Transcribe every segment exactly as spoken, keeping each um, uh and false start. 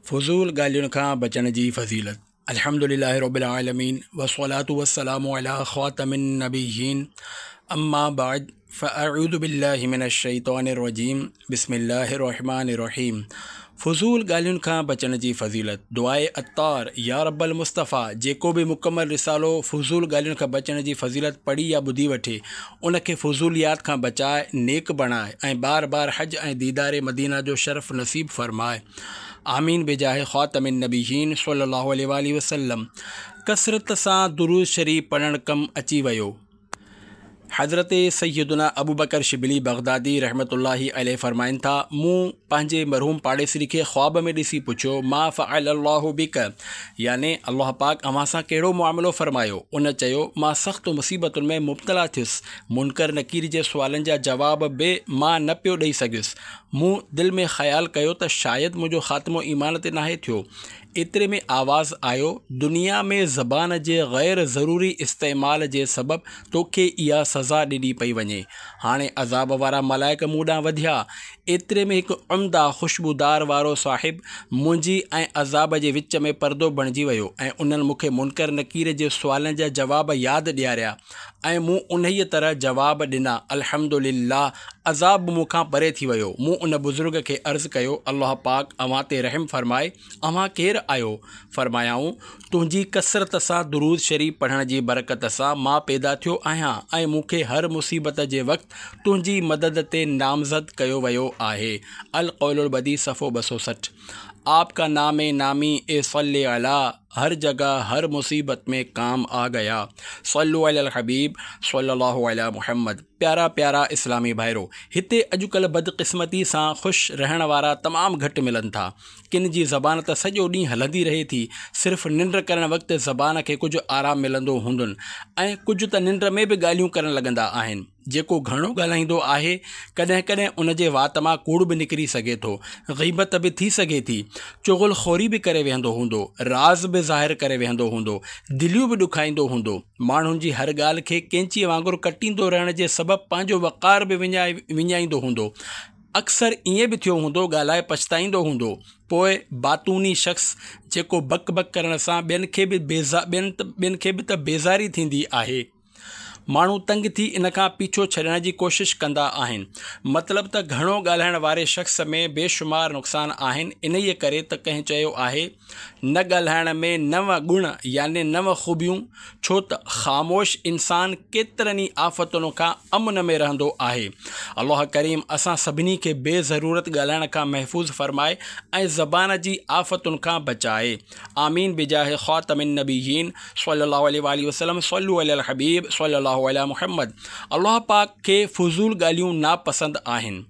فضول ڳالهين کان بچڻ جي فضيلت. الحمد لله رب العالمين والصلاة والسلام على خاتم النبيين اما بعد فاعوذ بالله من الشيطان الرجيم بسم الله الرحمن الرحيم. فضول ڳالهين کان بچڻ جي فضيلت. دعائي عطار: يا رب المصطفيٰ، جيڪو به مڪمل رسالو فضول ڳالهين کان بچڻ جي فضيلت پڙهي يا ٻڌي وٺي، ان کي فضوليات کان بچائي نيڪ بڻائي ۽ بار بار حج ۽ ديدار مدينه جو شرف نصيب فرمائي. آمين بجاه خاتم النبيين صلي الله عليه واله وسلم. ڪثرت سان درود شريف پڙهڻ ڪم اچي ويو. حضرت سيدنا ابوبڪر شبلي بغدادي رحمة الله عليه فرمائن ٿا، مون پنهنجي مرحوم پاڙيسري کي خواب ۾ ڏسي پڇيو، ما فعل الله بڪ، يعني الله پاڪ اوهان سان ڪهڙو معاملو فرمايو؟ ان چيو، مان سخت مصيبتن ۾ مبتلا ٿيس، منڪر نڪير جي سوالن جا جواب به مان نه پيو ڏئي سگهيس. مون دل ۾ خيال ڪيو ته شايد منهنجو خاتمو ايمان تي ناهي ٿيو. ايتري ۾ آواز آيو، دنيا ۾ زبان جي غير ضروري استعمال جي سبب توکي اها سزا ڏني پئي وڃي. هاڻي عذاب وارا ملائڪ مون ڏانهن وڌيا. ايتري ۾ هڪ عمده خوشبودار وارو صاحب منهنجي ۽ عذاب جي وچ ۾ پردو بڻجي ويو ۽ انهن مون کي منڪر نڪير جي سوالن جا جواب ياد ڏياريا ۽ مون انهيء طرح جواب ڏنا. الحمدلله عذاب مون کان پري ٿي ويو. مون ان بزرگ کي عرض ڪيو، الله پاڪ اوهان تي رحم فرمائي، اوهان ڪير آهيو؟ فرمايائون، تنهنجي ڪثرت سان درود شريف پڙهڻ جي برڪت سان مان پيدا ٿيو آهيان ۽ مون کي هر مصيبت جي وقت تنهنجي مدد تي نامزد ڪيو ويو آهي. القول البديع صفحو ٻه سؤ سٺ. آپ کا نام نامي اي صلي عليٰ هر جگه هر مصيبت ۾ ڪام آ گيا. صلو علي الحبيب صلي الله علي محمد. پيارا پيارا اسلامي ڀائرو، هتي اڄڪلهه بدقسمتي سان خوش رهڻ وارا تمام گهٽ ملن ٿا. ڪن جي زبان ته سڄو ڏينهن هلندي رهي ٿي، صرف ننڊ ڪرڻ وقت زبان کي ڪجهه آرام ملندو هوندن ۽ ڪجهه ته ننڊ ۾ به ڳالهيون ڪرڻ لڳندا آهن. جيڪو گهڻو ڳالهائيندو آهي، ڪڏهن ڪڏهن ان جي وات مان ڪوڙ به نڪري سگهي ٿو، غيبت به ٿي سگهي ٿي، چغل خوري به ڪري ويهندو هوندو، راز به ظاهر ڪري ويهندو هوندو، دليون به ڏکائيندو هوندو. ماڻهن جي هر ڳالهه کي قينچيء وانگر ڪٽيندو رهڻ جي سبب پنهنجو وقار به وڃائيندو هوندو. اڪثر ائين به ٿيو هوندو، ڳالهائي پڇتائيندو هوندو. پوء باتوني شخص جيڪو بڪ بڪ ڪرڻ سان ٻين کي به ٻين کي به ته بيزاري ٿيندي آهي. ماڻهو تنگ ٿي ان کان پيڇو ڇڏڻ جي ڪوشش ڪندا آهن. مطلب ته گهڻو ڳالهائڻ واري شخص ۾ بيشمار نقصان آهن. انهيء ڪري ته ڪنهن چيو آهي، نه ڳالهائڻ ۾ نو گڻ يعني نو خوبيون، ڇو ته خاموش انسان ڪيترن ئي آفتن کان امن ۾ رهندو آهي. الله ڪريم اسان سڀني کي بي ضرورت ڳالهائڻ کان محفوظ فرمائي ۽ زبان جي آفتن کان بچائي. آمين بجاه خاتم النبيين صلي الله عليه واله وسلم. صلو علي الحبيب صلي الله علي محمد. الله پاڪ کي فضول ڳالهيون ناپسند آهن.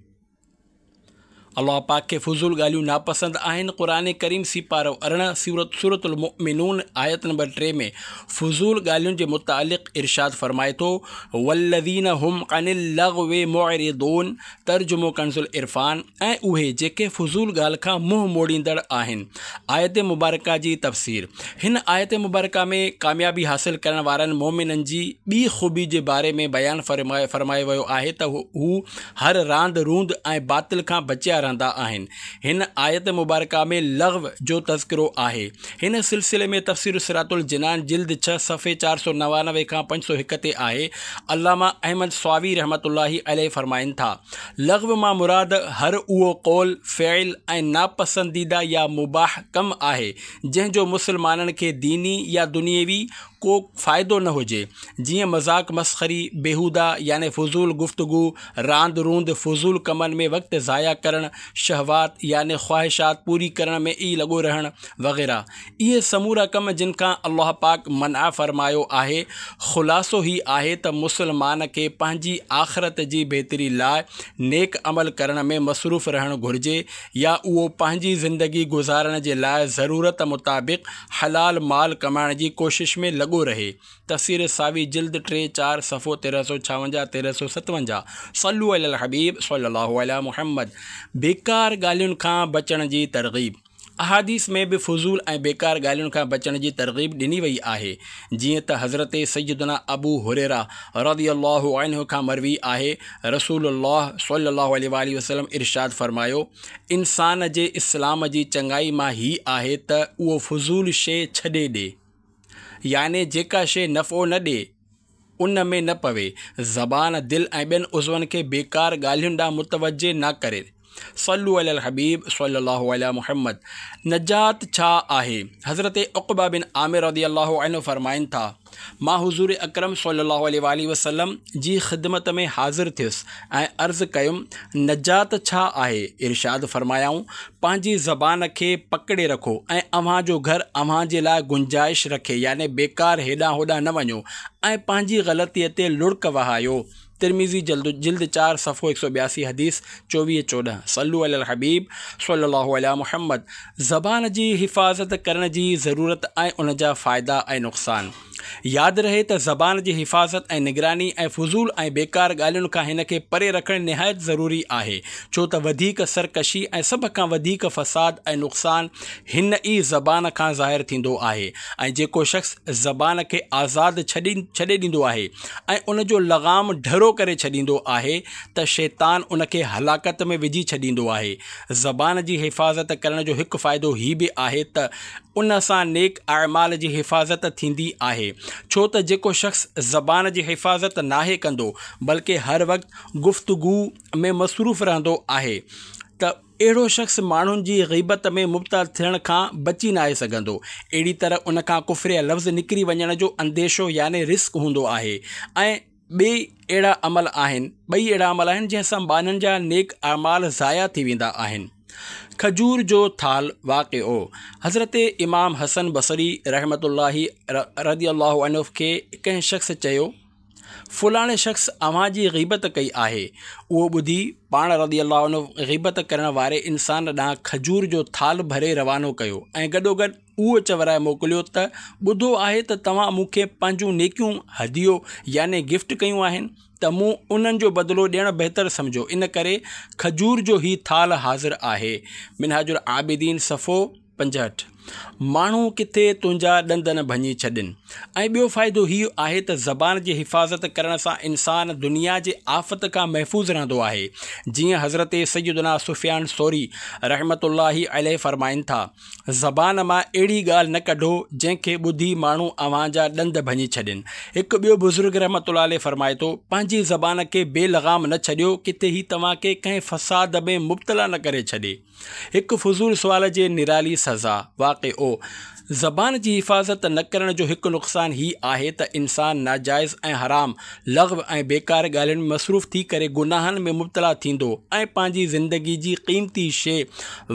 الله پاڪ کي فضول ڳالهيون ناپسند آهن. قرآن ڪريم سيپارو ارڙهن سورت سورة المؤمنون آيت نمبر ٽي ۾ فضول ڳالهين جي متعلق ارشاد فرمائي ٿو، والذين هم عن اللغو معرضون، ترجمو ڪنز العرفان، ۽ اهي جيڪي فضول ڳالهه کان منهن موڙيندڙ آهن. آيت مبارڪه جي تفسير: هن آيت مبارڪه ۾ ڪاميابي حاصل ڪرڻ وارن مؤمنن جي ٻي خوبي جي باري ۾ بيان فرمايو ويو آهي ته هو هر راند روند ۽ باطل کان بچيا رهندا آهن. هن آيت مبارڪه ۾ لغو جو تذڪرو آهي. هن سلسلي ۾ تفسير صراط الجنان جلد ڇهه صفحي چار سؤ نوانوي کان پنج سؤ هڪ تي آهي. علامه احمد صاوي رحمة الله عليه فرمائن ٿا، لغو مان مراد هر اهو قول، فعل ۽ ناپسنديده يا مباح ڪم آهي، جنهن جو مسلمانن کي ديني يا دنيوي ڪو فائدو نه هجي، جيئن مذاق مسخري، بيهوده يعني فضول گفتگو، راند روند، فضول ڪمن ۾ وقت ضايع ڪرڻ، شهوات يعني خواهشات پوري ڪرڻ ۾ ئي لڳو رهڻ وغيره. اهي سمورا ڪم جن کان الله پاڪ منع فرمايو آهي. خلاصو هي آهي ته مسلمان کي پنهنجي آخرت جي بهتري لاء نيڪ عمل ڪرڻ ۾ مصروف رهڻ گهرجي يا اهو پنهنجي زندگي گذارڻ جي لاء ضرورت مطابق حلال مال ڪمائڻ جي ڪوشش ۾ لڳو رهي. تفسير ساوي جلد ٽي چار صفحو تيرهن سؤ ڇاونجاهه تيرهن سؤ ستونجاهه. صلو علي الحبيب صلي الله علي محمد. بيڪار ڳالهين کان بچڻ جي ترغيب. احاديث ۾ به فضول ۽ بيڪار ڳالهين کان بچڻ جي ترغيب ڏني وئي آهي، جيئن ته حضرت سيدنا ابو هريره رضي الله عنه کان مروي آهي، رسول الله صلي الله عليه واٰله وسلم ارشاد فرمايو، انسان جي اسلام جي چڱائي مان هي آهي ته اهو فضول شيء ڇڏي ڏي، يعني جيڪا شيء نفعو نه ڏئي ان ۾ نه پوي، زبان، دل ۽ ٻين عضون کي بيڪار ڳالهين ڏانهن متوجه نه ڪري. صلو علي الحبيب صلي الله علي محمد. نجات ڇا آهي؟ حضرت عقبه بن عامر رضي الله عنه فرمائن ٿا، مان حضور اڪرم صلي الله عليه واٰله وسلم جي خدمت ۾ حاضر ٿيس ۽ عرض ڪيم، نجات ڇا آهي؟ ارشاد فرمايائون، پنهنجي زبان کي پڪڙي رکو ۽ اوهان جو گهر اوهان جي لاء گنجائش رکي يعني بيڪار هيڏانهن هوڏانهن نه وڃو ۽ پنهنجي غلطيء تي لڙڪ وهايو. ترمذي جلد جلد چار صفحو هڪ سؤ ٻياسي حديث چوويهه چوڏهن صلو علي الحبيب صلي الله علي محمد. زبان جي حفاظت ڪرڻ جي ضرورت ۽ ان جا فائدا ۽ نقصان. ياد رهي ته زبان جي حفاظت ۽ نگراني ۽ فضول ۽ بيڪار ڳالهين کان هن کي پري رکڻ نهايت ضروري آهي، ڇو ته وڌيڪ سرڪشي ۽ سڀ کان وڌيڪ فساد ۽ نقصان هن ئي زبان کان ظاهر ٿيندو آهي ۽ جيڪو شخص زبان کي آزاد ڇڏي ڇڏي ڏيندو آهي ۽ ان جو لغام ڍرو ڪري ڇڏيندو آهي ته شيطان ان کي هلاڪت ۾ وجهي ڇڏيندو آهي. زبان جي حفاظت ڪرڻ جو هڪ فائدو هي به آهي ته ان سان نيڪ اعمال جي حفاظت ٿيندي آهي، ڇو ته جيڪو شخص زبان جي حفاظت ناهي ڪندو بلڪه هر وقت گفتگو ۾ مصروف رهندو آهي ته اهڙو شخص ماڻهن جي غيبت ۾ مبتلا ٿيڻ کان بچي ناهي سگهندو. اهڙي طرح ان کان ڪفريه لفظ نڪري وڃڻ جو انديشو يعني رسڪ هوندو آهي ۽ ٻئي اهڙا عمل آهن ٻئي اهڙا عمل آهن جنهن سان ٻانهن جا نيڪ اعمال ضايع ٿي ويندا آهن. کجور جو ٿال واقعو، حضرت امام حسن بصري رحمة الله رضي الله عنه کي ڪنهن شخص چيو، فلاڻي شخص اوهان جي غيبت ڪئي آهي. اهو ٻڌي پاڻ رضي الله عنه غيبت ڪرڻ واري انسان ڏانهن کجور جو ٿال ڀري روانو ڪيو ۽ گڏوگڏ اهو چورائي موڪليو ته ٻڌو آهي ته توهان مون کي پنهنجون نيڪيون هديو يعني گفٽ ڪيون آهن ته مون انهن جو بدلو ڏيڻ بهتر سمجهيو ان ڪري کجور جو هي ٿالهه حاضر آهي. منهاج العابدين صفحو پنجهٺ. ماڻهو ڪٿي تنهنجا ڏند نه ڀڃي ڇڏين. ۽ ٻيو فائدو هيء آهي ته زبان جي حفاظت ڪرڻ سان انسان دنيا جي آفت کان محفوظ رهندو آهي. جيئن حضرت سيدنا سفيان ثوري رحمة الله عليه فرمائن ٿا، زبان مان اهڙي ڳالهه نه ڪڍو جنهن کي ٻڌي ماڻهو اوهان جا ڏند ڀڃي ڇڏين. هڪ ٻيو بزرگ رحمة الله عليه فرمائي ٿو، پنهنجي زبان کي بي لغام نه ڇڏيو ڪٿي هي توهان کي ڪنهن فساد ۾ مبتلا نه ڪري ڇڏي. هڪ فضول سوال جي نرالي سزا. واقعو، زبان جي حفاظت نه ڪرڻ جو هڪ نقصان هي آهي ته انسان ناجائز ۽ حرام، لغو ۽ بيڪار ڳالهين ۾ مصروف ٿي ڪري گناهن ۾ مبتلا ٿيندو ۽ پنهنجي زندگي جي قيمتي شيء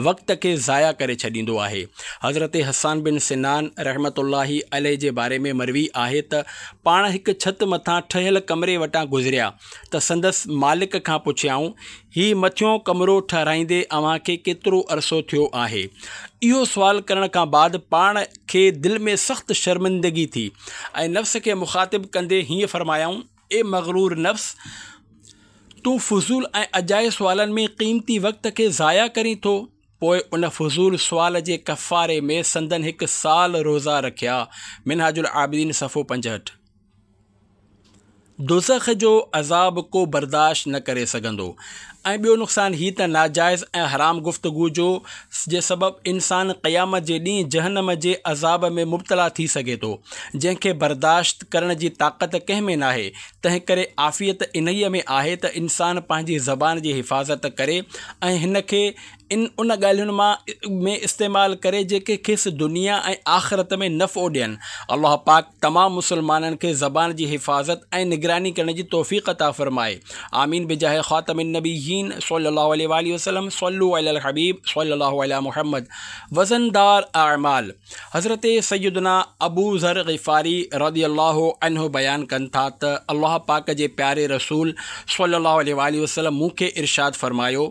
وقت کي ضايع ڪري ڇڏيندو آهي. حضرت حسان بن سنان رحمة الله عليه جي باري ۾ مروي آهي ته پاڻ هڪ ڇت مٿان ٺهيل ڪمري وٽان گذريا ته سندس مالڪ کان پڇيائون، هي مٿيون ڪمرو ٺهرائيندي اوهان کي ڪيترو عرصو ٿيو آهي؟ اهو سوال ڪرڻ کان بعد پاڻ کي دل ۾ سخت شرمندگي ٿي ۽ نفس کي مخاطب ڪندي هيئن فرمايائون، اي مغرور نفس! تون فضول ۽ اجائي سوالن ۾ قيمتي وقت کي ضايع ڪرين ٿو. پوء ان فضول سوال جي ڪفاري ۾ سندن هڪ سال روزا رکيا. منهاج العابدين صفحو پنجهٺ. دوزخ جو عذاب ڪو برداشت نه ڪري سگهندو ۽ ٻيو نقصان هي ته ناجائز ۽ حرام گفتگو جو جي سبب انسان قيامت جي ڏينهن جهنم جي عذاب ۾ مبتلا ٿي سگهي ٿو جنهن کي برداشت ڪرڻ جي طاقت ڪنهن ۾ ناهي تنهن ڪري عافيت انهيء ۾ آهي ته انسان پنهنجي زبان جي حفاظت ڪري ۽ هن کي ان ان ڳالهين مان ۾ استعمال ڪري جيڪي کيس دنيا ۽ آخرت ۾ نفعو ڏين. الله پاڪ تمام مسلمانن کي زبان جي حفاظت ۽ نگراني ڪرڻ جي توفيق عطا فرمائي. آمين بجاه خاتم النبيين صلي الله عليه واٰله وسلم صلو علي الحبيب صلي الله علي محمد وزندار اعمال حضرت سيدنا ابو ذر غفاري رضي الله عنه بيان ڪن ٿا ته الله پاڪ جي پياري رسول صلي الله عليه واٰله وسلم مون کي ارشاد فرمايو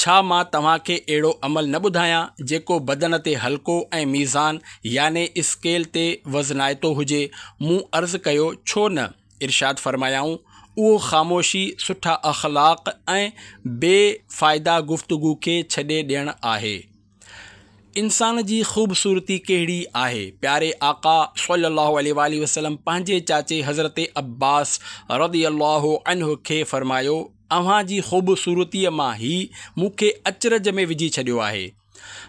ڇا مان توهان کي اهڙو عمل نه ٻڌايان جيڪو بدن تي هلڪو ۽ ميزان يعني اسڪيل تي وزنائتو هجي؟ مون عرض ڪيو، ڇو نه؟ ارشاد فرمايائون، اهو خاموشي، سٺا اخلاق ۽ بي فائده گفتگو کي ڇڏي ڏيڻ آهي. انسان جي خوبصورتي ڪهڙي آهي؟ پياري آقا صلي الله عليه واٰله وسلم پنهنجي چاچي حضرت عباس رضي الله عنه کي فرمايو، اوهان جي خوبصورتيء مان هي مون کي اچرج ۾ وجهي ڇڏيو آهي.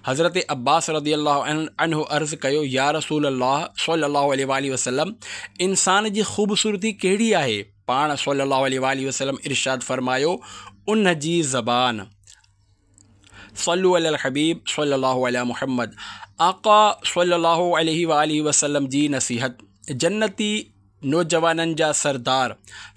حضرت عباس رضي الله عنه عرض ڪيو، يا رسول الله صلي الله عليه واٰله وسلم انسان جي خوبصورتي ڪهڙي آهي؟ پاڻ صلي الله عليه واٰله وسلم ارشاد فرمايو، ان جي زبان. صلو علی الحبيب صلي الله علي محمد. آقا صلي الله عليه واٰله وسلم جي نصيحت. جنتي نوجوانن جا سردار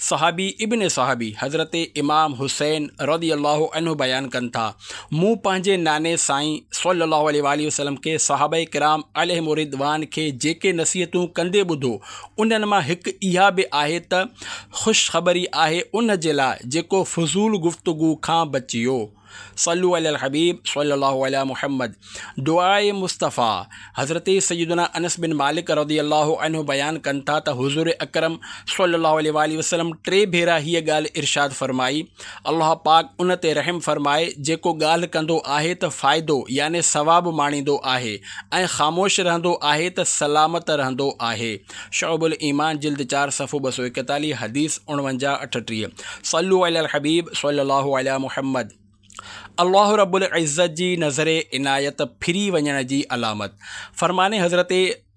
صحابي ابن صحابي حضرت امام حسين رضي الله عنه بيان ڪن ٿا، مون پنهنجي ناني سائين صلي الله عليه واٰله وسلم کي صحابه ڪرام عليهم الرضوان کي جيڪي نصيحتون ڪندي ٻڌو، انهن مان هڪ اها به آهي ته خوشخبري آهي ان جي لاء جيڪو فضول گفتگو کان بچيو. صلو علی الحبيب صلي الله علي محمد. دعاء مصطفيٰ. حضرت سيدنا انس بن مالڪ رضي الله عنه بيان ڪن ٿا ته حضور اڪرم صلي الله عليه واٰله وسلم ٽي ڀيرا هيء ڳالهه ارشاد فرمائي، الله پاڪ ان تي رحم فرمائي جيڪو ڳالهه ڪندو آهي ته فائدو يعني ثواب ماڻيندو آهي ۽ خاموش رهندو آهي ته سلامت رهندو آهي. شعب الايمان جلد چار صفحو ٻه سؤ ايڪيتاليهه حديث اڻونجاهه اٺٽيهه. صلو علی الحبيب صلي الله علي محمد. الله رب العزت جي نظر عنايت ڦري وڃڻ جي علامت. فرمان حضرت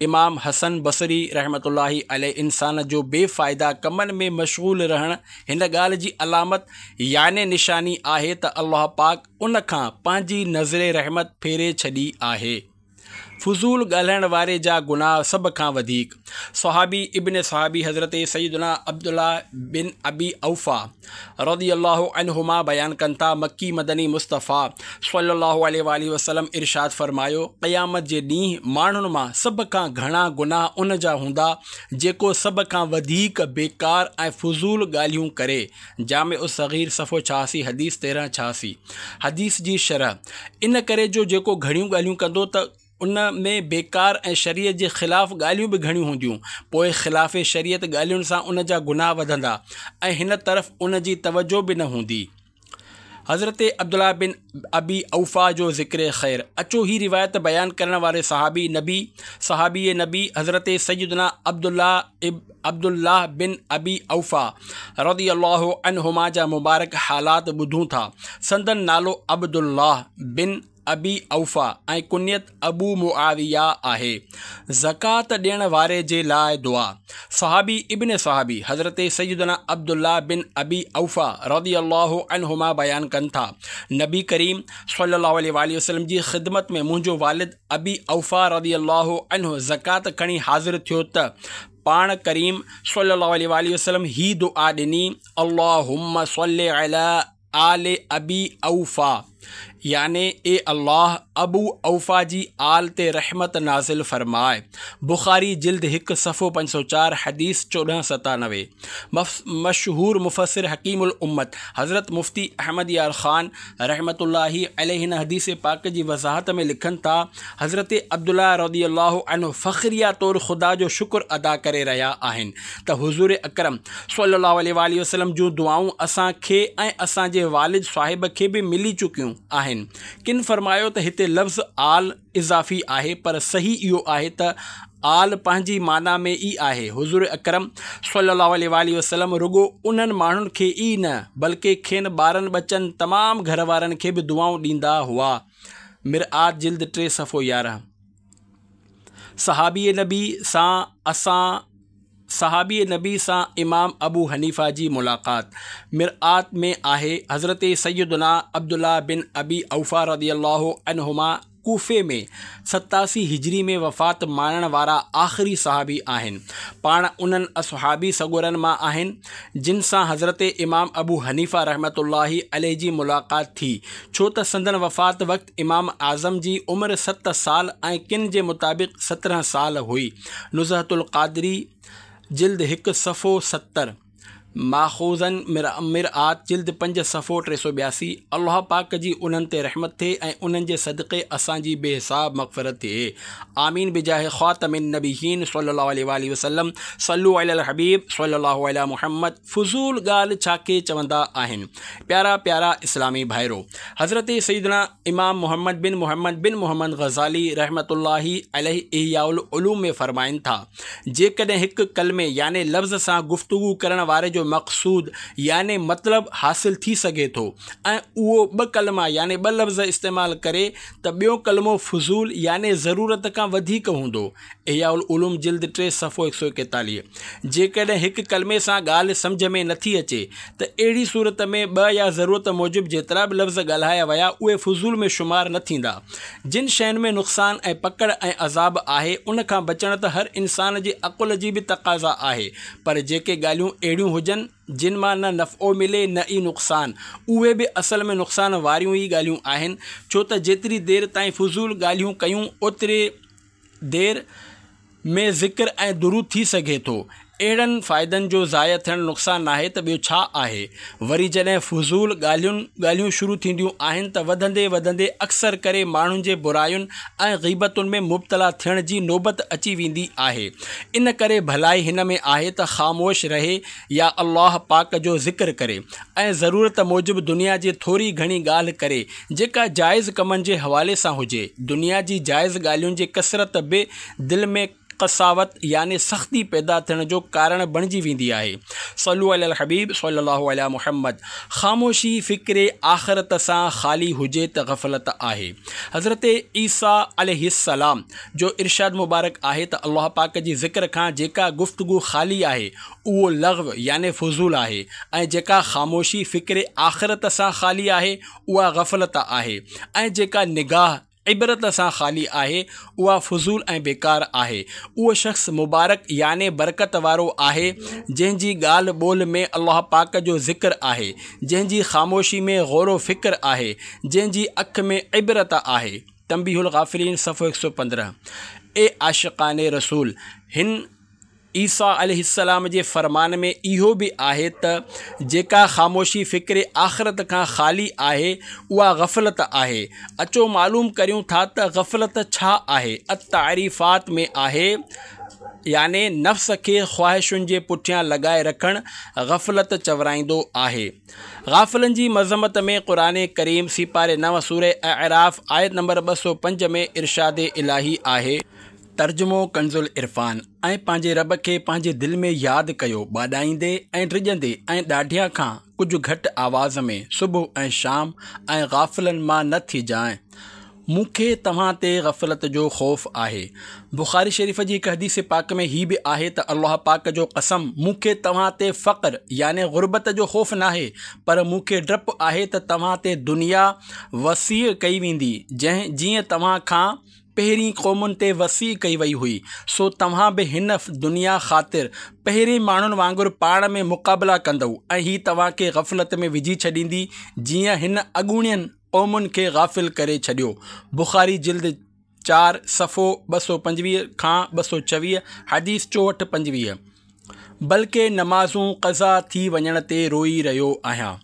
امام حسن بصري رحمة الله عليه انسان جو بي فائده ڪمن ۾ مشغول رهڻ هن ڳالهه جي علامت يعني نشاني آهي ته الله پاڪ ان کان پنهنجي نظر رحمت ڦيري ڇڏي آهي. فضول ڳالهائڻ واري جا گناهه سڀ کان وڌيڪ. صحابي ابن صحابي حضرت سيدنا عبدالله بن ابي اوفيٰ رضي الله عنهما بيان ڪن ٿا، مڪي مدني مصطفيٰ صلي الله عليه واٰله وسلم ارشاد فرمايو، قيامت جي ڏينهن ماڻهن مان سڀ کان گهڻا گناهه ان جا هوندا جيڪو سڀ کان وڌيڪ بيڪار ۽ فضول ڳالهيون ڪري. جامع الصغير صفحو ڇهاسي حديث تيرهن ڇهاسي. حديث جي شرح، ان ڪري جو جيڪو گهڻيون ڳالهيون ڪندو ته ان ۾ بيڪار ۽ شريعت جي خلاف ڳالهيون به گهڻيون هونديون، پوء خلاف شريعت ڳالهين سان ان جا گناهه وڌندا ۽ هن طرف ان جي توجه به نه هوندي. حضرت عبدالله بن ابي اوفيٰ جو ذڪر خير. اچو هي روايت بيان ڪرڻ واري صحابي نبي صحابي نبي حضرت سيدنا عبدالله عبدالله بن ابي اوفيٰ رضي الله عنهما جا مبارڪ حالات ٻڌون ٿا. سندن نالو عبدالله بن ابي اوفيٰ ۽ ڪنيت ابو معاويه آهي. زڪوات ڏيڻ واري جي لاء دعا. صحابي ابن صحابي حضرت سيدنا عبدالله بن ابي اوفيٰ رضي الله عنهما بيان ڪن ٿا، نبي ڪريم صلي الله عليه واٰله وسلم جي خدمت ۾ منهنجو والد ابي اوفيٰ رضي الله عنه زڪوات کڻي حاضر ٿيو ته پاڻ ڪريم صلي الله عليه واٰله وسلم هي دعا ڏني، اللهم صل علي آل ابي اوفيٰ، يعني اي الله ابو اوفيٰ جي آل تي رحمت نازل فرماء. بخاري جلد هڪ صفحو پنج سؤ چار حديث چوڏهن ستانوي. مشهور مفسر حڪيم الامت حضرت مفتي احمد يار خان رحمة الله عليه هن حديث پاڪ جي وضاحت ۾ لکن ٿا، حضرت عبدالله رضي الله عنه فخريه طور خدا جو شڪر ادا ڪري رهيا آهن ته حضور اڪرم صلي الله عليه واٰله وسلم جون دعائون اسان کي ۽ اسان جي والد صاحب کي به ملي چڪيون آهن. ڪن فرمايو ته هتي لفظ آل اضافي آهي پر صحيح اهو آهي ته آل پنهنجي معنيٰ ۾ ئي آهي. حضور اڪرم صلي الله عليه واٰله وسلم رڳو انهن ماڻهن کي ئي نه بلڪه کين ٻارن ٻچن تمام گهر وارن کي به دعائون ڏيندا هئا. مرآت جلد ٽي صفحو يارهن. صحابي نبي سان اسان صحابي نبي سان امام ابو حنيفه جي ملاقات مرآت ۾ آهي. حضرت سيدنا عبدالله بن ابي اوفيٰ رضي الله عنهما ڪوفي ۾ ستاسي هجري ۾ وفات ماڻڻ وارا آخري صحابي آهن. پاڻ انهن اصحابي سڳورن مان آهن جن سان حضرت امام ابو حنيفه رحمة الله عليه جي ملاقات ٿي، ڇو ته سندن وفات وقت امام اعظم جي عمر ست سال ۽ ڪن جي مطابق سترهن سال هئي. نزهة القادري جلد هڪ صفحو ستر. ماخوذن مرآت جلد پنج صفحو ٽي سؤ ٻياسي. الله پاڪ جي انهن تي رحمت ٿئي ۽ انهن جي صدقي اسان جي بي حساب مغفرت ٿئي. آمين بجاه خاتم النبيين صلي الله عليه واله وسلم. صلو علی الحبيب صلي الله علی محمد. فضول ڳالهه ڇا کي چوندا آهن؟ پيارا پيارا اسلامي ڀائرو، حضرت سيدنا امام محمد بن محمد بن محمد غزالي رحمت الله عليه احياء العلوم ۾ فرمائن ٿا، جيڪڏهن هڪ ڪلمي يعني لفظ سان گفتگو ڪرڻ واري جو مقصود يعني مطلب حاصل ٿي سگهي ٿو ۽ اهو ٻه ڪلما يعني ٻه لفظ استعمال ڪري ته ٻيو ڪلمو فضول يعني ضرورت کان وڌيڪ هوندو. احياء العلوم جلد ٽي صفحو هڪ سؤ ايڪيتاليهه. جيڪڏهن هڪ ڪلمي سان ڳالهه سمجهه ۾ نٿي اچي ته اهڙي صورت ۾ ٻه يا ضرورت موجب جيترا به لفظ ڳالهايا ويا اهي فضول ۾ شمار نه ٿيندا. جن شين ۾ نقصان ۽ پڪڙ ۽ عذاب آهي ان کان بچڻ ته هر انسان جي عقل جي به تقاضا آهي، پر جيڪي ڳالهيون اهڙيون هجن جن مان نه نفعو ملي نه ئي نقصان، اهي به اصل ۾ نقصان واريون ئي ڳالهيون آهن، ڇو ته جيتري دير تائين فضول ڳالهيون ڪيون اوتري دير ۾ ذڪر ۽ درود ٿي سگهي ٿو. اهڙن فائدن جو ضايع ٿيڻ نقصان ناهي ته ٻيو ڇا آهي؟ وري جڏهن فضول ڳالهين ڳالهيون شروع ٿينديون آهن ته وڌندي وڌندي اڪثر ڪري ماڻهن جي براين ۽ غيبتن ۾ مبتلا ٿيڻ جي نوبت اچي ويندي آهي. ان ڪري ڀلائي هن ۾ آهي ته خاموش رهي يا الله پاڪ جو ذڪر ڪري ۽ ضرورت موجب دنيا جي ٿوري گهڻي ڳالهه ڪري جيڪا جائز ڪمن جي حوالي سان هجي. دنيا جي جائز ڳالهين جي ڪثرت به دل ۾ قساوت يعني سختي پيدا ٿيڻ جو ڪارڻ بڻجي ويندي آهي. صلو علی الحبيب صلي الله علی محمد. خاموشي فڪر آخرت سان خالي هجي ته غفلت آهي. حضرت عيسيٰ عليه السلام جو ارشاد مبارڪ آهي ته الله پاڪ جي ذڪر کان جيڪا گفتگو خالي آهي اهو لغو يعني فضول آهي ۽ جيڪا خاموشي فڪر آخرت سان خالي آهي اها غفلت آهي ۽ جيڪا نگاهه عبرت سان خالي آهي اها فضول ۽ بيڪار آهي. اهو شخص مبارڪ يعني برڪت وارو آهي جنهن جي ڳالهه ٻولهه ۾ الله پاڪ جو ذڪر آهي، جنهن جي خاموشي ۾ غور و فڪر آهي، جنهن جي اک ۾ عبرت آهي. تنبيه الغافلين صفحو هڪ سؤ پندرهن. اي عاشقان رسول! هن عيسيٰ عليه السلام جي فرمان ۾ اهو به آهي ته جيڪا خاموشي فڪر آخرت کان خالي آهي اها غفلت آهي. اچو معلوم ڪريون ٿا ته غفلت ڇا آهي؟ التعريفات ۾ آهي يعني نفس کي خواهشن جي پٺيان لڳائي رکڻ غفلت چورائيندو آهي. غافلن جي مذمت ۾ قرآن ڪريم سيپاري نو سورة اعراف آيت نمبر ٻه سؤ پنج ۾ ارشاد الاهي آهي. ترجمو ڪنز العرفان، ۽ پنهنجي رب کي پنهنجي دل ۾ ياد ڪيو ٻاڏائيندي ۽ ڊڄندي ۽ ڏاڍيان کان ڪجهه گهٽ آواز ۾ صبح ۽ شام ۽ غافلن مان نه ٿجانء. مون کي توهان تي غفلت جو خوف آهي. بخاري شريف جي هڪ حديث پاڪ ۾ هي به آهي ته الله پاڪ جو قسم مون کي توهان تي فقر يعني غربت جو خوف ناهي پر مون کي ڊپ آهي ته توهان تي دنيا وسيع ڪئي ويندي جنهن جيئن توهان کان پهرين قومن تي وسيع ڪئي وئي هئي، سو توهان به هن دنيا خاطر پهرين ماڻهن وانگر پاڻ ۾ مقابلا ڪندؤ ۽ هي توهان کي غفلت ۾ وجهي ڇڏيندي جيئن هن اڳوڻين قومن کي غافل ڪري ڇڏيو. بخاري جلد چار صفحو ٻه سؤ پنجويهه کان ٻه سؤ ڇويهه، حديث چوهٺ پنجويهه. بلڪه نمازون قضا ٿي وڃڻ تي روئي رهيو آهيان.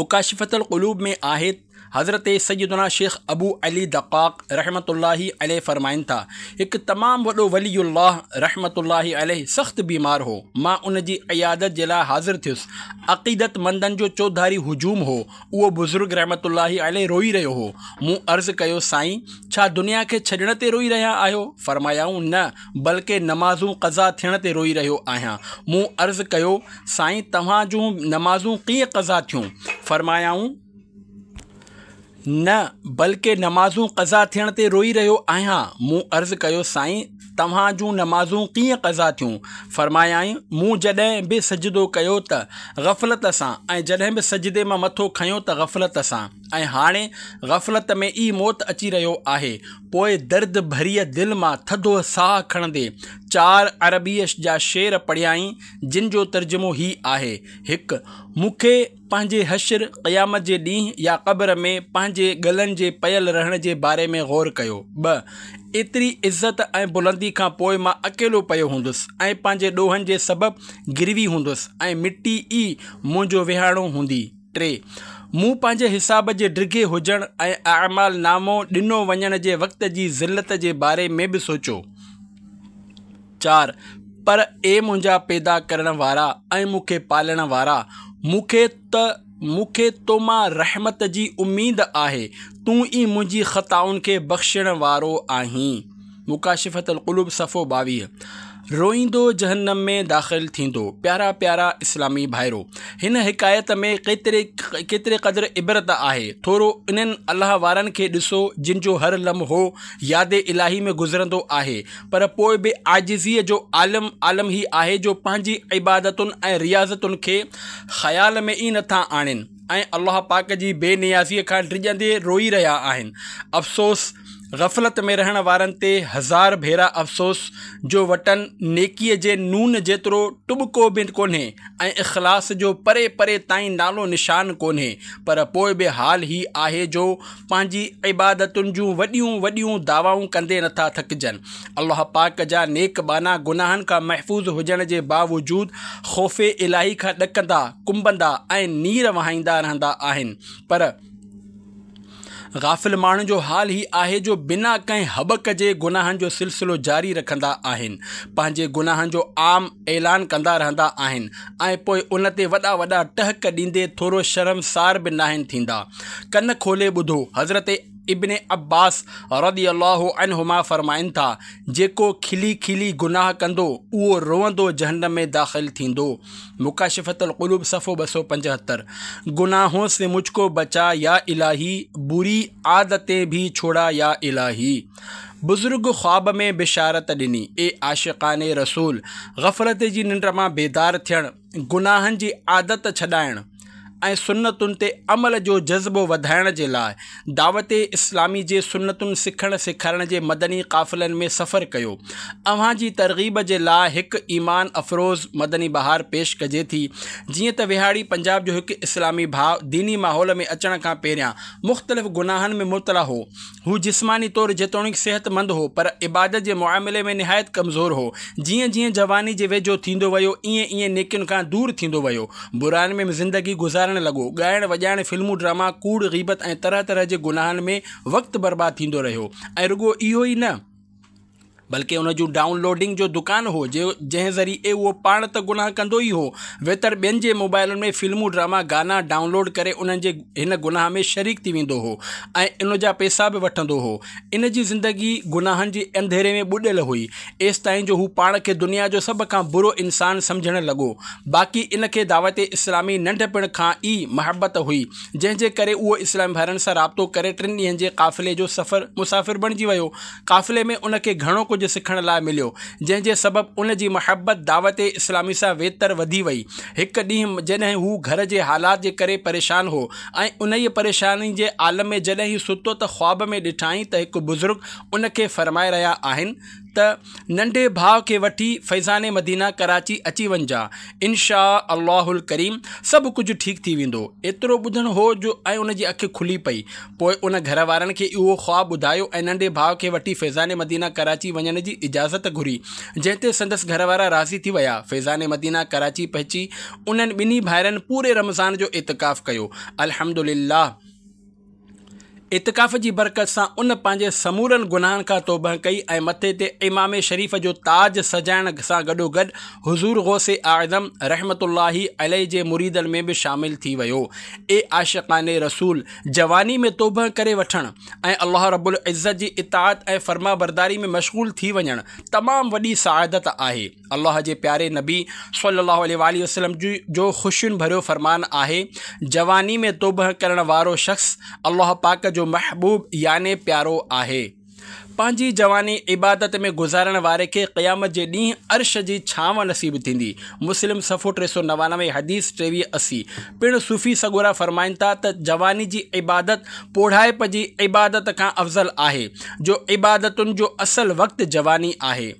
مڪاشفة القلوب ۾ آهي حضرت سيدنا شيخ ابو علي دقاق رحمة الله عليه فرمائن ٿا، هڪ تمام وڏو ولي الله رحمة الله عليه سخت بيمار هو، مان ان جي عيادت جي لاء حاضر ٿيس، عقيدت مندن جو چوڌاري هجوم هو، اهو بزرگ رحمة الله عليه روئي رهيو هو، مون عرض ڪيو، سائين! ڇا دنيا کي ڇڏڻ تي روئي رهيا آهيو؟ فرمايائون، نه، بلڪه نمازون قضا ٿيڻ تي روئي رهيو آهيان. مون عرض ڪيو، سائين! توهان جون نمازون ڪيئن قضا ٿيون؟ فرمايائون، نه، بلڪه نمازون قضا ٿيڻ تي روئي رهيو آهيان. مون عرض ڪيو، سائين! توهان جون نمازون ڪيئن قضا ٿيون؟ فرمايائين، مون جڏهن به سجدو ڪيو ته غفلت سان ۽ جڏهن به سجدي مان مٿو کنيو ته غفلت سان ۽ هاڻي غفلت ۾ ئي موت اچي رهيو آهي. پوء درد ڀريء دل مان ٿڌو ساهه کڻندي چار عربيء جا شعر پڙهيائين، جن جو ترجمو هي آهي، هڪ. مون کي پنهنجي حشر، قيامت جي ڏينهن، يا قبر ۾ پنهنجي ڳلن جي پيل رهڻ جي باري ۾ غور ڪيو. ٻه. ايتري عزت ۽ بلندي کان پوء مان اڪيلو پيو هوندس ۽ پنهنجي ڏوهن جي سبب گروي هوندس ۽ مٽي ئي منهنجو وهاڻو هوندي. ٽي. مون پنهنجي حساب جي ڊگهي هجڻ ۽ اعمال نامو ڏنو وڃڻ جي وقت جي ذلت جي باري ۾ به سوچيو. چار. پر اي منهنجا پيدا ڪرڻ وارا ۽ مون کي پالڻ وارا! مون کي ته مون کي تو مان رحمت جي اميد آهي، تون ئي منهنجي خطائن کي بخشڻ وارو آهين. مڪاشفة القلوب صفحو ٻاويهه. روئيندو جهنم ۾ داخل ٿيندو. پيارا پيارا اسلامي ڀائرو! هن حڪايت ۾ ڪيتري ڪيتري قدر عبرت آهي. ٿورو انهن الله وارن کي ڏسو جن جو هر لمحو ياد الاهي ۾ گذرندو آهي پر پوء به عاجزيء جو عالم عالم هي آهي جو پنهنجي عبادتن ۽ رياضتن کي خيال ۾ ئي نٿا آڻين ۽ الله پاڪ جي بي نيازيء کان ڊڄندي روئي رهيا آهن. افسوس! غفلت ۾ رهڻ وارن تي هزار ڀيرا افسوس جو وٽن نيڪيء جي نون جيترو ٽٻڪو به ڪونهي ۽ اخلاص جو پري پري تائين نالو نشان ڪونهي پر پوء به حال هي آهي جو پنهنجي عبادتن جون وڏيون وڏيون دعوائون ڪندي نٿا ٿڪجن. الله پاڪ جا نيڪ ٻانها گناهن کان محفوظ هجڻ جي باوجود خوف الاهي کان ڏڪندا، ڪنبندا ۽ نير وهائيندا رهندا آهن پر غافل ماڻهن جو حال هي آهي جو بنا ڪنهن هٻڪ جي گناهن جو سلسلو جاري رکندا آهن، پنهنجي گناهن جو عام اعلان ڪندا رهندا آهن ۽ پوء ان تي وڏا وڏا ٽهڪ ڏيندي ٿورو شرمسار به ناهن ٿيندا. ڪن کولي ٻڌو، حضرت ابن عباس رضي الله عنهما فرمائن ٿا، جيڪو کلي کلي گناهه ڪندو اهو روئندو جهنم ۾ داخل ٿيندو. مڪاشفة القلوب صفحو ٻه سؤ پنجهتر. گناهون سي مجھ ڪو بچا يا الاهي، بري عادتين ڀي ڇوڙا يا الاهي. بزرگ خواب ۾ بشارت ڏني، اي عاشقان رسول! غفلت جي ننڊ مان بيدار ٿيڻ، گناهن جي عادت ڇڏائڻ ۽ سنتن تي عمل جو جذبو وڌائڻ جي لاء دعوت اسلامي جي سنتن سکڻ سيکارڻ جي مدني قافلن ۾ سفر ڪيو. اوهان جي ترغيب جي لاء هڪ ايمان افروز مدني بهار پيش ڪجي ٿي. جيئن ته وهاڙي پنجاب جو هڪ اسلامي ڀاء ديني ماحول ۾ اچڻ کان پهريان مختلف گناهن ۾ مبتلا هو. هو جسماني طور جيتوڻيڪ صحتمند هو، پر عبادت جي معاملي ۾ نهايت ڪمزور هو. جيئن جيئن جواني جي ويجهو ٿيندو ويو، ايئن ايئن نيڪين کان دور ٿيندو ويو. براين ۾ زندگي گذارڻ لڳو. ڳائڻ وڄائڻ، فلمون ڊراما، ڪوڙ، غيبت ۽ طرح طرح جي گناهن ۾ وقت برباد ٿيندو رهيو ۽ رڳو اهو ئي نه، بلڪه ان جو ڊائون لوڊنگ جو دڪان هو، جنهن ذريعي اهو پاڻ ته گناهه ڪندو ئي هو، ويتر ٻين جي موبائلن ۾ فلمون، ڊراما، گانا ڊائون لوڊ ڪري انهن جي هن گناهه ۾ شريڪ ٿي ويندو هو ۽ ان جا پئسا به وٺندو هو. ان جي زندگي گناهن جي انڌيري ۾ ٻڏل هئي، ايستائين جو هو پاڻ کي دنيا جو سڀ کان برو انسان سمجهڻ لڳو. باقي ان کي دعوت اسلامي ننڍپڻ کان ئي محبت هئي، جنهن جي ڪري اهو اسلامي ڀائرن سان رابطو ڪري ٽن ڏينهن جي قافلي جو سفر مسافر بڻجي ويو. قافلي ۾ ان کي گهڻو ڪجهه سکڻ لاء مليو، جنهن جي سبب ان جي محبت دعوت اسلامي سان ويتر وڌي وئي. هڪ ڏينهن جڏهن هو گهر جي حالات جي ڪري پريشان هو ۽ انهيء پريشاني جي عالم ۾ جڏهن هي ستو ته خواب ۾ ڏٺائين ته هڪ بزرگ ان کي فرمائي رهيا آهن ته ننڍي ڀاء کي وٺي فيضان مدينه ڪراچي اچي وڃجان، ان شآء الله الڪريم سڀ ڪجهه ٺيڪ ٿي ويندو. ايترو ٻڌڻ هو جو ۽ ان جي اک کلي پئي. پوء ان گهر وارن کي اهو خواب ٻڌايو ۽ ننڍي ڀاء کي وٺي فيضان مدينه ڪراچي وڃڻ جي اجازت گهري، جنهن تي سندس گهر وارا راضي ٿي ويا. فيضان مدينه ڪراچي پهچي انهن ٻنهي ڀائرن پوري رمضان جو اعتڪاف ڪيو. الحمدلله! اعتڪاف جي برڪت سان ان پنهنجي سمورن گناهن کان توبهه ڪئي ۽ مٿي تي عمامي شريف جو تاج سجائڻ سان گڏوگڏ حضور غوث اعظم رحمة الله عليه جي مريدن ۾ به شامل ٿي ويو. اي عاشقان رسول! جواني ۾ توبهه ڪري وٺڻ ۽ الله رب العزت جي اطاعت ۽ فرمانبرداري ۾ مشغول ٿي وڃڻ تمام وڏي سعادت آهي. الله جي پياري نبي صلي الله عليه واٰله وسلم جو خوشين ڀريو فرمان آهي، جواني ۾ توبهه ڪرڻ وارو شخص الله پاڪ جو محبوب يعني پيارو آهي. پنهنجي جواني عبادت ۾ گذارڻ واري کي قيامت جي ڏينهن عرش جي ڇانو نصيب ٿيندي. مسلم صفحو ٽي سؤ نوانوي حديث ٽيويهه اسي. پڻ صوفي سڳورا فرمائن ٿا ته جواني جي عبادت پوڙهائپ جي عبادت کان افضل آهي، جو عبادتن جو اصل وقت جواني آهي.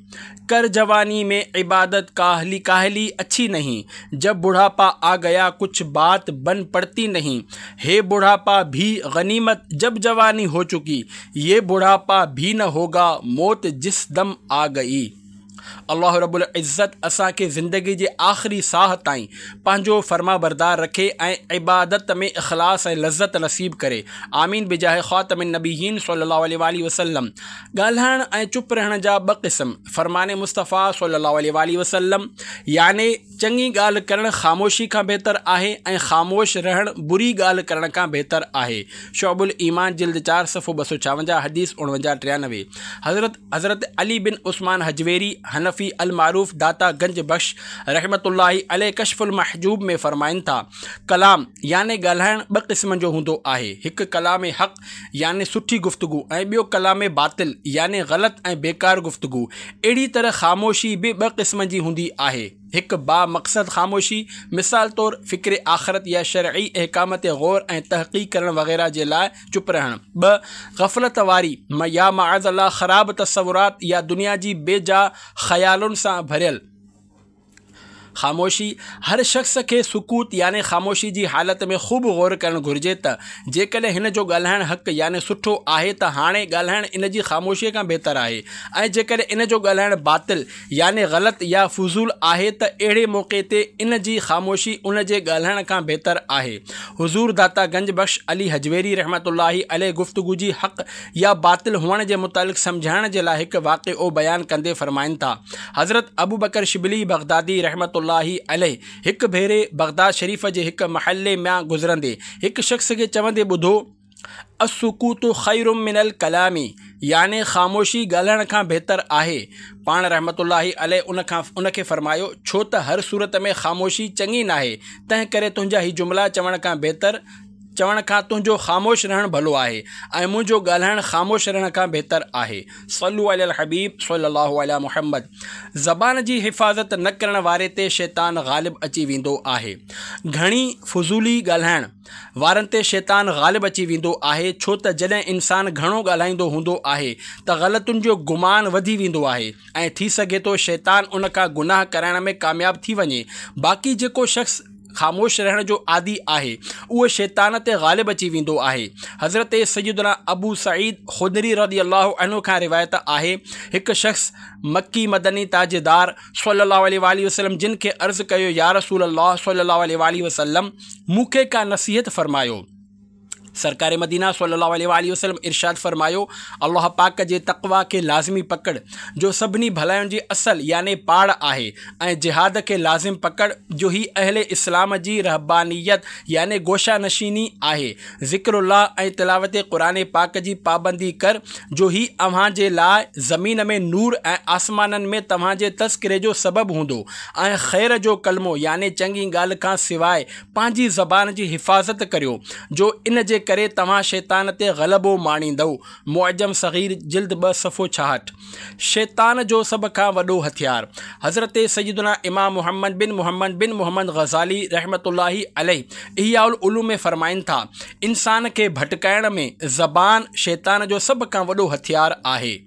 कर जवानी में इबादत काहली काहली अच्छी नहीं, जब बुढ़ापा आ गया कुछ बात बन पड़ती नहीं। हे बुढ़ापा भी गनीमत जब जवानी हो चुकी, ये बुढ़ापा भी न होगा मौत जिस दम आ गई। अल्लाह रब्बुल इज़्ज़त असां खे ज़िंदगी जे आख़िरी साह ताईं पंहिंजो फरमाबरदार रखे ऐं इबादत में इख़लास ऐं लज़त नसीब करे। आमीन बिजाह ख़ातम नबीयीन सल्लल्लाहु अलैहि वसल्लम। ॻाल्हाइण ऐं चुप रहण जा ॿ क़िस्म। फरमाने मुस्तफ़ा सल्लल्लाहु अलैहि वसल्लम, याने चङी ॻाल्हि करणु ख़ामोशी खां बहितर आहे ऐं ख़ामोश रहणु बुरी ॻाल्हि करण खां बहितर आहे। शुअबुल ईमान जिल्द चार सफ़ो ॿ सौ छावंजाह हदीस उणवंजाह टियानवे। हज़रत हज़रत अली बिन उस्मान हजवेरी हनफी अल मारूफ दाता गंज बख्श रहमतुल्लाहि अलैह कश्फुल महजूब में फरमाइनि था, कलाम याने ॻाल्हाइणु ॿ क़िस्मनि जो हूंदो आहे, हिकु कलाम हक़ याने सुठी गुफ्तगू ऐं ॿियो कलाम बातिल याने ग़लति ऐं बेकार गुफ्तगू। अहिड़ी तरह ख़ामोशी बि ॿ क़िस्मनि जी हूंदी आहे, हिकु बामक़सद ख़ामोशी, मिसाल तौरु फ़िक्र आख़िरत या शरई अहकाम ते गौर ऐं तहक़ीक़ करण वग़ैरह जे लाइ चुप रहणु। ॿ ग़फ़लत वारी या माअज़ अल्लाह ख़राब तसवुरात या दुनिया जी बेजा ख़यालुनि सां भरियल ख़ामोशी। हर शख़्स खे सुकूत याने ख़ामोशी जी हालत में ख़ूब गौर करणु घुरिजे त जेकॾहिं हिन जो ॻाल्हाइणु हक़ याने सुठो आहे त हाणे ॻाल्हाइणु इन जी ख़ामोशीअ खां बहितर आहे, ऐं जेकॾहिं इन जो ॻाल्हाइणु बातिल याने ग़लति या फुज़ूल आहे त अहिड़े मौक़े ते इन जी ख़ामोशी उन जे ॻाल्हाइण खां बहितर आहे। हुज़ूर दाता गंज बख्श अली हजवेरी रहमतुल्लाहि अलैह गुफ्तगू जी हक़ या बातिल हुअण जे मुतालिक़ सम्झाइण जे लाइ हिकु वाक़िओ बयानु कंदे फरमाइनि था, हज़रत अबू बकर शिबली बगदादी रहमतुल्लाहि अलैह हिकु भेरे बगदाद शरीफ़ जे हिकु महल्ले मां गुज़रंदे हिकु शख़्स खे चवंदे ॿुधो, अस्सुकूतु ख़ैरुम मिनल कलामी, याने ख़ामोशी ॻाल्हाइण खां बहितर आहे। पाण रहमतुल्लाहि अलैह उन खां उनखे फ़रमायो, छो त हर सूरत में ख़ामोशी चङी नाहे, तंहिं करे तुंहिंजा ही जुमिला चवण खां बहितर चवण खां तुंहिंजो ख़ामोश रहणु भलो आहे ऐं मुंहिंजो ॻाल्हाइणु ख़ामोश रहण खां बहितर आहे। सल्लु अलल हबीब सल्लल्लाहु अला मुहम्मद। ज़बान जी हिफ़ाज़त न करण वारे ते शैतान ग़ालिब अची वेंदो आहे। घणी फुज़ूली ॻाल्हाइण वारनि ते शैतान ग़ालिब अची वेंदो आहे, छो त जॾहिं इंसान घणो ॻाल्हाईंदो हूंदो आहे त ग़लतियुनि जो गुमान वधी वेंदो आहे ऐं थी सघे थो शैतान उन खां गुनाह कराइण में कामयाबु थी वञे। बाक़ी जेको शख़्स ख़ामोश रहण जो आदी आहे उहो शैतान ते ग़ालिब अची वेंदो आहे। हज़रत सैयदना अबू सईद खुदरी रज़ी अल्लाहु अन्हु खां रिवायत आहे, हिकु शख़्स मक्की मदनी ताजदार सल्लल्लाहु अलैहि वसल्लम जिन खे अर्ज़ कयो, या रसूल अल्लाह सल्लल्लाहु अलैहि वसल्लम, मूंखे का नसीहत फ़रमायो। सरकार मदीना सल्लल्लाहु अलैहि वसल्लम इरशाद फ़रमायो, अल्लाह पाक जे तक़वा खे लाज़मी पकड़ जो सभिनी भलायुनि जी असल याने पाड़ आहे, ऐं जिहाद खे लाज़िम पकड़ जो ही अहले इस्लाम जी रहबानियत याने गोशा नशीनी आहे। ज़िक्रुल्लाह ऐं तिलावत क़ुरान पाक जी पाबंदी कर जो ही अव्हां जे लाइ ज़मीन में नूर ऐं आसमाननि में तव्हांजे तज़किरे जो सबबु हूंदो। ऐं ख़ैर जो कलमो याने चङी ॻाल्हि खां सवाइ पंहिंजी ज़बान जी हिफ़ाज़त करियो जो इन जे करे तव्हां शैतान ते ग़लबो माणींदव। मुअज्जम सगीर जिल्द ॿ सफ़ो छाहठि। शैतान जो सभ खां वॾो हथियार। हज़रत सैयदना इमाम मोहम्मद बिन मोहम्मद बिन मोहम्मद ग़ज़ाली रहमतुल्लाहि अलैह इहयाउल उलूम में फ़रमाइनि था, इंसान खे भटकाइण में ज़बान शैतान जो सभ खां वॾो हथियार आहे।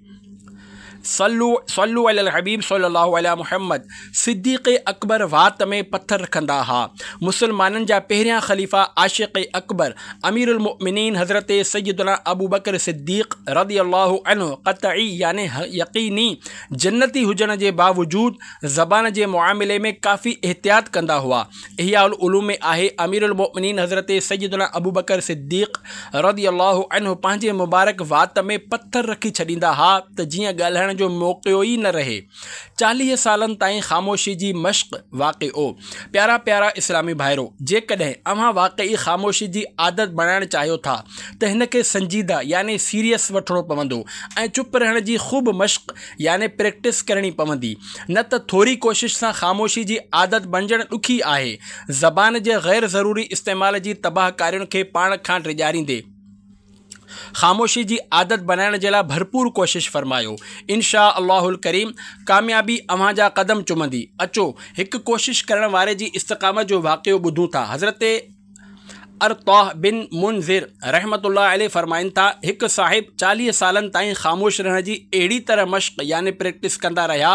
सल्लु सल्लु अलल हबीब सल्लल्लाहु अलैहि मुहम्मद। सिद्दीक़ अकबर वात में पत्थर रखंदा हुआ। मुसलमाननि जा पहिरियां ख़लीफ़ा आशिक़ अकबर अमीरुल मुमिनीन हज़रत सैयदना अबू बकर सिद्दीक़ रज़ी अल्लाहु अन्हु क़तई यानी यकीनी जन्नती हुजण जे बावजूद ज़बान जे मुआमिले में काफ़ी एहतियात कंदा हुआ। इहयाउल उलूम में आहे, अमीरुल मुमिनीन हज़रत सैयदना अबू बकर सिद्दीक़ रज़ी अल्लाहु अन्हु पंहिंजे मुबारक वात में पत्थर रखी छॾींदा हुआ त जीअं ॻाल्हाइण जो मौक़ो ई न रहे। चालीह सालनि ताईं ख़ामोशी जी मश्क़ वाक़िओ। प्यारा प्यारा इस्लामी भाइरो, जेकॾहिं अव्हां वाक़ई ख़ामोशी जी आदत बणाइण चाहियो था त हिन खे संजीदा यानी सीरियस वठिणो पवंदो ऐं चुप रहण जी ख़ूब मश्क़ यानी प्रैक्टिस करणी पवंदी, न त थोरी कोशिश सां ख़ामोशी जी आदत बणिजणु ॾुखी आहे। ज़बान जे ग़ैर ज़रूरी इस्तेमाल जी तबाहकारियुनि खे पाण खां ड्रिॼारींदे خاموشي جي عادت بنائڻ جي لاء ڀرپور ڪوشش فرمايو. انشاء الله الڪريم ڪاميابي اوهان جا قدم چمندي. اچو هڪ ڪوشش ڪرڻ واري جي استقامت جو واقعو ٻڌون ٿا. حضرت ارطاه بن منذر رحمة الله عليه فرمائن ٿا، هڪ صاحب چاليهه سالن تائين خاموش رهڻ جي اهڙي طرح مشق يعني پريڪٽس ڪندا رهيا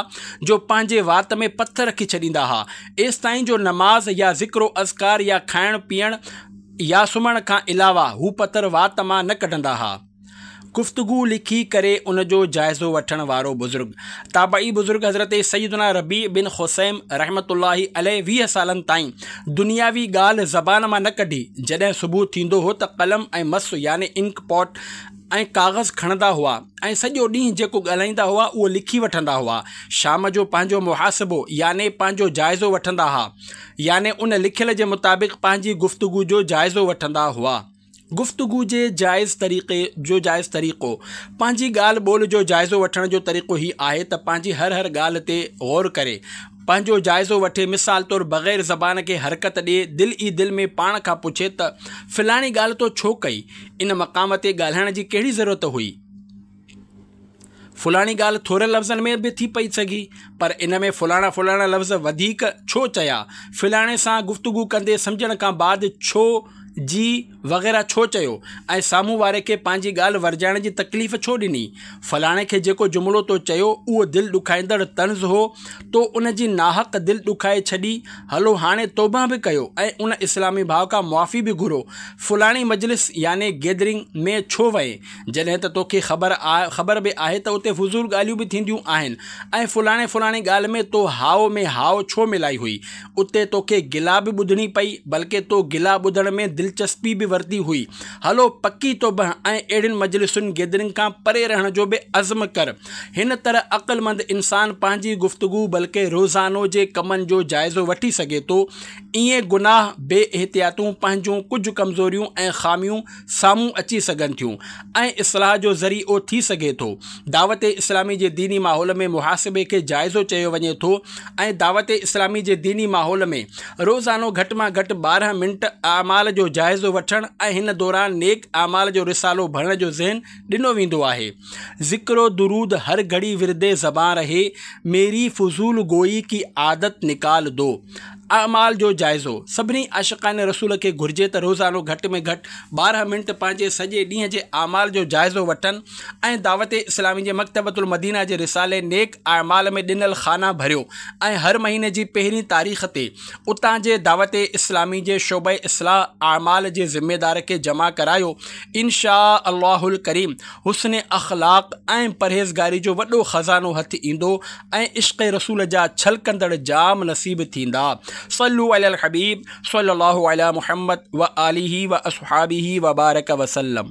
جو پنهنجي وات ۾ پٿر رکي ڇڏيندا ها، ايستائين جو نماز يا ذڪر و اذڪار يا کائڻ پيئڻ يا سمهڻ کان علاوه هو پٿر وات مان نه ڪڍندا ها. گفتگو لکي ڪري ان جو جائزو وٺڻ وارو بزرگ تابعي بزرگ حضرت سيدنا ربيع بن خثيم رحمة الله عليه ويهه سالن تائين دنياوي ڳالهه زبان مان نه ڪڍي. جڏهن صبح ٿيندو هو ته قلم ۽ مس يعني انڪ پاٽ ۽ ڪاغذ کڻندا هئا ۽ سڄو ڏينهن جيڪو ڳالهائيندا هئا اهو لکي وٺندا هئا. شام جو پنهنجو محاسبو يعني پنهنجو جائزو وٺندا ها، يعني ان لکيل جي مطابق پنهنجي گفتگو جو جائزو وٺندا هئا. گفتگو جي جائز طريقي جو جائز طريقو پنهنجي ڳالهه ٻولهه جو جائزو وٺڻ جو طريقو هي آهي ته پنهنجي هر هر ڳالهه تي غور ڪري پنهنجو جائزو وٺي. مثال طور بغير زبان کي حرڪت ڏئي دل ئي دل ۾ پاڻ کان پڇي ته فلاڻي ڳالهه تو ڇو ڪئي، ان مقام تي ڳالهائڻ جي ڪهڙي ضرورت هئي، فلاڻي ڳالهه ٿورن لفظن ۾ به ٿي پئي سگهي پر ان ۾ فلاڻا فلاڻا لفظ وڌيڪ ڇو چيا، فلاڻي سان گفتگو ڪندي سمجهڻ کان بعد ڇو جي وغيره ڇو چيو ۽ سامهون واري کي پنهنجي ڳالهه ورجائڻ جي تڪليف ڇو ڏني، فلاڻي کي جيڪو جملو تو چيو اهو دل ڏکائيندڙ طنز هو، تو ان جي ناحق دل ڏکائي ڇڏي، هلو هاڻي توبه به ڪيو ۽ ان اسلامي ڀاء کان معافي به گهرو، فلاڻي مجلس يعني گيدرنگ ۾ ڇو وئين جڏهن ته توکي خبر خبر به آهي ته اتي فضول ڳالهيون به ٿينديون آهن ۽ فلاڻي فلاڻي ڳالهه ۾ تو هائو ۾ هائو ڇو ملائي هئي، اتي توکي گلا به ٻڌڻي پئي بلڪه تو گلا ٻڌڻ ۾ دلچسپي به ورتي هئي، هلو پڪي توبه ۽ اهڙين مجلسن گيدرنگ کان پري رهڻ جو به عزم ڪر. هن طرح عقلمند انسان پنهنجي گفتگو بلڪه روزانو جي ڪمن جو جائزو وٺي سگهي ٿو. ائين گناهه، بي احتياطون، پنهنجون ڪجهه ڪمزوريون ۽ خاميون سامهون اچي سگهن ٿيون ۽ اصلاح جو ذريعو ٿي سگهي ٿو. دعوت اسلامي جي ديني ماحول ۾ محاسبي کي جائزو چيو وڃي ٿو ۽ دعوت اسلامي جي ديني ماحول ۾ روزانو گهٽ مان گهٽ ٻارهن منٽ اعمال جو جائزو وٺڻ ۽ هن دوران نيڪ اعمال جو رسالو ڀرڻ جو ذهن ڏنو ويندو آهي. ذڪر و درود هر گهڙي ورد زبان رهي، ميري فضول گوئي ڪي عادت نڪال دو. اعمال جو جائزو سڀني عاشقان رسول کي گهرجي ته روزانو گهٽ ۾ گهٽ ٻارهن منٽ پنهنجي سڄي ڏينهن جي اعمال جو جائزو وٺن ۽ دعوت اسلامي جي مڪتبة المدينه جي رسالي نيڪ اعمال ۾ ڏنل خانا ڀريو ۽ هر مهيني جي پهرين تاريخ تي اتان جي دعوت اسلامي جي شعبه اصلاح اعمال جي ذميدار کي جمع ڪرايو. انشاء الله الڪريم حسن اخلاق ۽ پرهيزگاري جو وڏو خزانو هٿ ايندو ۽ عشق رسول جا ڇلڪندڙ جام نصيب ٿيندا. صلوا علي الحبيب صلي الله علي محمد وآله واصحابه وبارڪ وسلم.